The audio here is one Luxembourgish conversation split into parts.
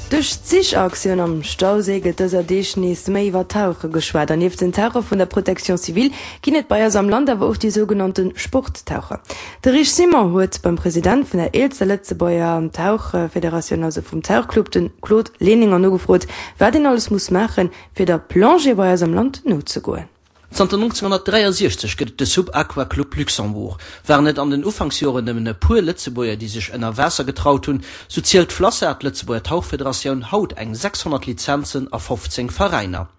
Duerch d'Sichaktioun am Stauséi gëtt dëser Deeg nees méi iwwer Tauche geschwat. An nieft den Taucher vun der Protection civile ginn et bei eis am Land awer och déi sougenannte Sporttaucher. De Rich Simon huet beim President vun der eelster Lëtzebuerger Tauchfederatioun, also vum Tauchclub, de Claude Lehninger nogefrot, wat een alles muss maachen, fir der Plongée bei eis am Land nozegoen. Zanter 1963 gëtt et de Sub Aqua Club Luxembourg. Waren et an den Ufanksjoren nëmmen e puer Lëtzebuerger, déi sech ënner Waasser getraut hunn, sou zielt d'FLASSA, d'Lëtzebuerger Tauchfederatioun, haut eng 600 Lizenzen a 15 Veräiner.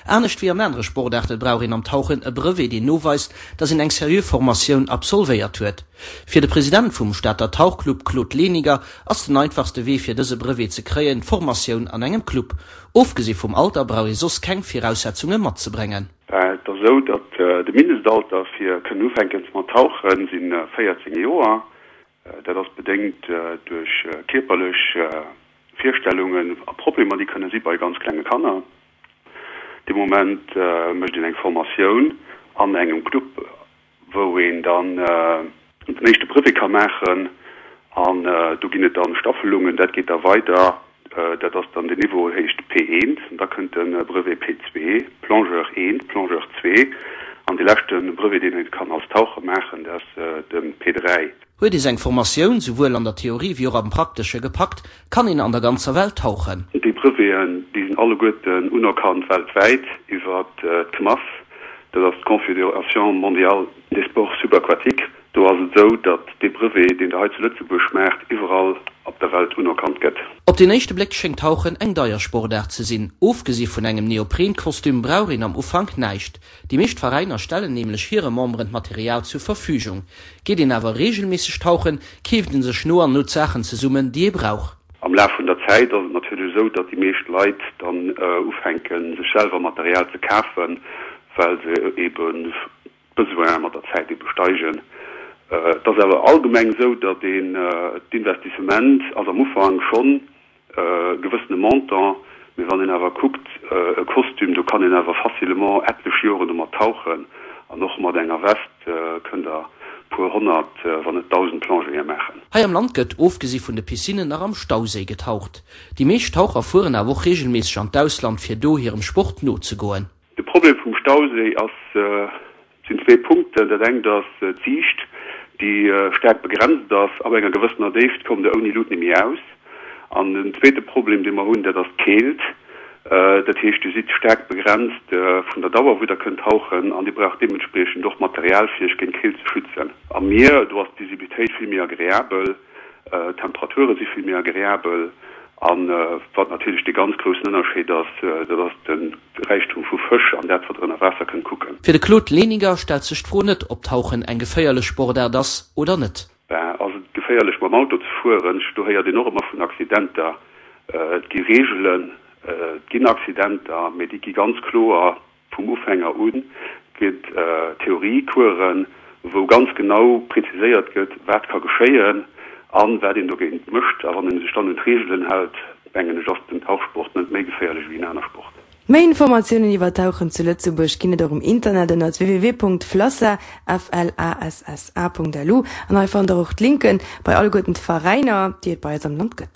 Anescht wéi an anere Sportaarte brauch een am Tauchen e Brevet, deen noweist, datt een eng seriö Formatioun absolvéiert huet. Fir de President vum Stater Tauchclub Claude Leniger ass den einfachste Wee fir dëse Brevet ze kréien, d'Formatioun an engem Club. Ofgesi vum Alter brauch ee soss keng Viraussetzunge matzebréngen. Et ass esou, datt de Mindestalter fir kënnen ufänken mat tauchen si 14 Joer. Dat ass bedéngt duerch kierperlech Virstellungen a Problemer, déi kënne si bei ganz klenge Kanner. Dee Moment mécht een eng Formatioun an engem Club wou een dann den éischte Brevet ka maachen an do ginn et dann Staffelungen, dat geet da weider, dat ass dann den Niveau heescht P1 an da kënnt de Brevet P2, Plongeur 1, Plongeur 2 an dee leschte Brevet deen ee kann als Taucher maachen, dat ass de P3. Huet ee seng Formatioun souwuel an der Theorie wéi och am Praktesche gepackt, kann een an der ganzer Welt tauchen. Déi Breveten, déi sinn alleguerten unerkannt weltwäit iwwer d'CMAS, dat ass d'Confédération mondiale des sports subaquatiques. Do ass et esou, datt dee Brevet, deen Der hei zu Lëtzebuerg maacht, iwwerall op der Welt unerkannt gëtt. Op den éischte Bléck schéngt Tauchen eng deier Sportaart ze sinn. Ofgesi vun engem Neopren-Kostüm brauch een am Ufank näischt. Déi meescht Veräiner stellen nämlech hire Memberen d'Material zur Verfügung. Geet een awer reegelméisseg tauchen, keeft een sech no an no d'Saachen zesummen, déi ee brauch. Am Laf vun der Zäit ass et natierlech esou, datt déi meescht Leit dann ufänken, sech selwer Material ze kafen, well se eben d'Besoine mat der Zäit ebe steigen. Et ass awer allgemeng esou, datt een d'Investissement ass am Ufank schonn e gewëssene Montant, mee wann een awer kuckt, e Kostüm, do kann een awer facilement etlech Joren domat tauchen an och mat enger Vest kënnt Der puer 100, wann net 1.000 Plongéeë maachen. Hei am Land gëtt, ofgesi vun de Piscinnen, nach am Stauséi getaucht. Déi meescht Taucher fueren awer och reegelméisseg an d'Ausland, fir do hirem Sport nozegoen. De Problem vum Stauséi ass, Et sinn zwee Punkten. Dat engt ass d'Siicht, déi staark begrenzt ass. Ab enger gewëssener Déift kommt Der ouni Lut net méi aus. An den zweete Problem, dee mer hunn, dat ass d'Keelt. Dat heescht, Dir sidd staark begrenzt vun der Dauer, wou Der kënnt tauchen, an Dir braucht deementspriechend och Material, fir Iech géint d'Keelt ze schützen. Am Mier, do ass d'Visibilitéit vill méi agreabel. D'Temperature si vill méi agreabel an wat natierlech dee ganz groussen Ënnerscheed ass, dat ass de Räichtum vu Fësch an dat wat der ënner Waasser kënnt kucken. Fir de Claude Lehninger stellt sech d'Fro net, ob Tauchen eng geféierlech Sportaart ass oder net. Ben, ass et geféierlech mam Auto ze fueren? Do héiert een och ëmmer vun Accidenter. Et gi Reegelen, et ginn Accidenter, mee déi gi ganz kloer Vum Ufänger u gëtt Theoriecoursen, wou ganz genau preziséiert gëtt, wat ka geschéien a wat een dogéint mécht. A wann ee sech dann un d'Reegelen hält, mengen ech, ass den Tauchsport net méi geféierlech wéi en aner Sport. Méi Informatiounen iwwer Tauchen zu Lëtzebuerg ginn et och um Internet ënnert www.flassa, F-L-A-S-S-A, .lu an hei fannt der och d'Linken bei alleguerten d'Veräiner, déi et bei eis am Land gëtt.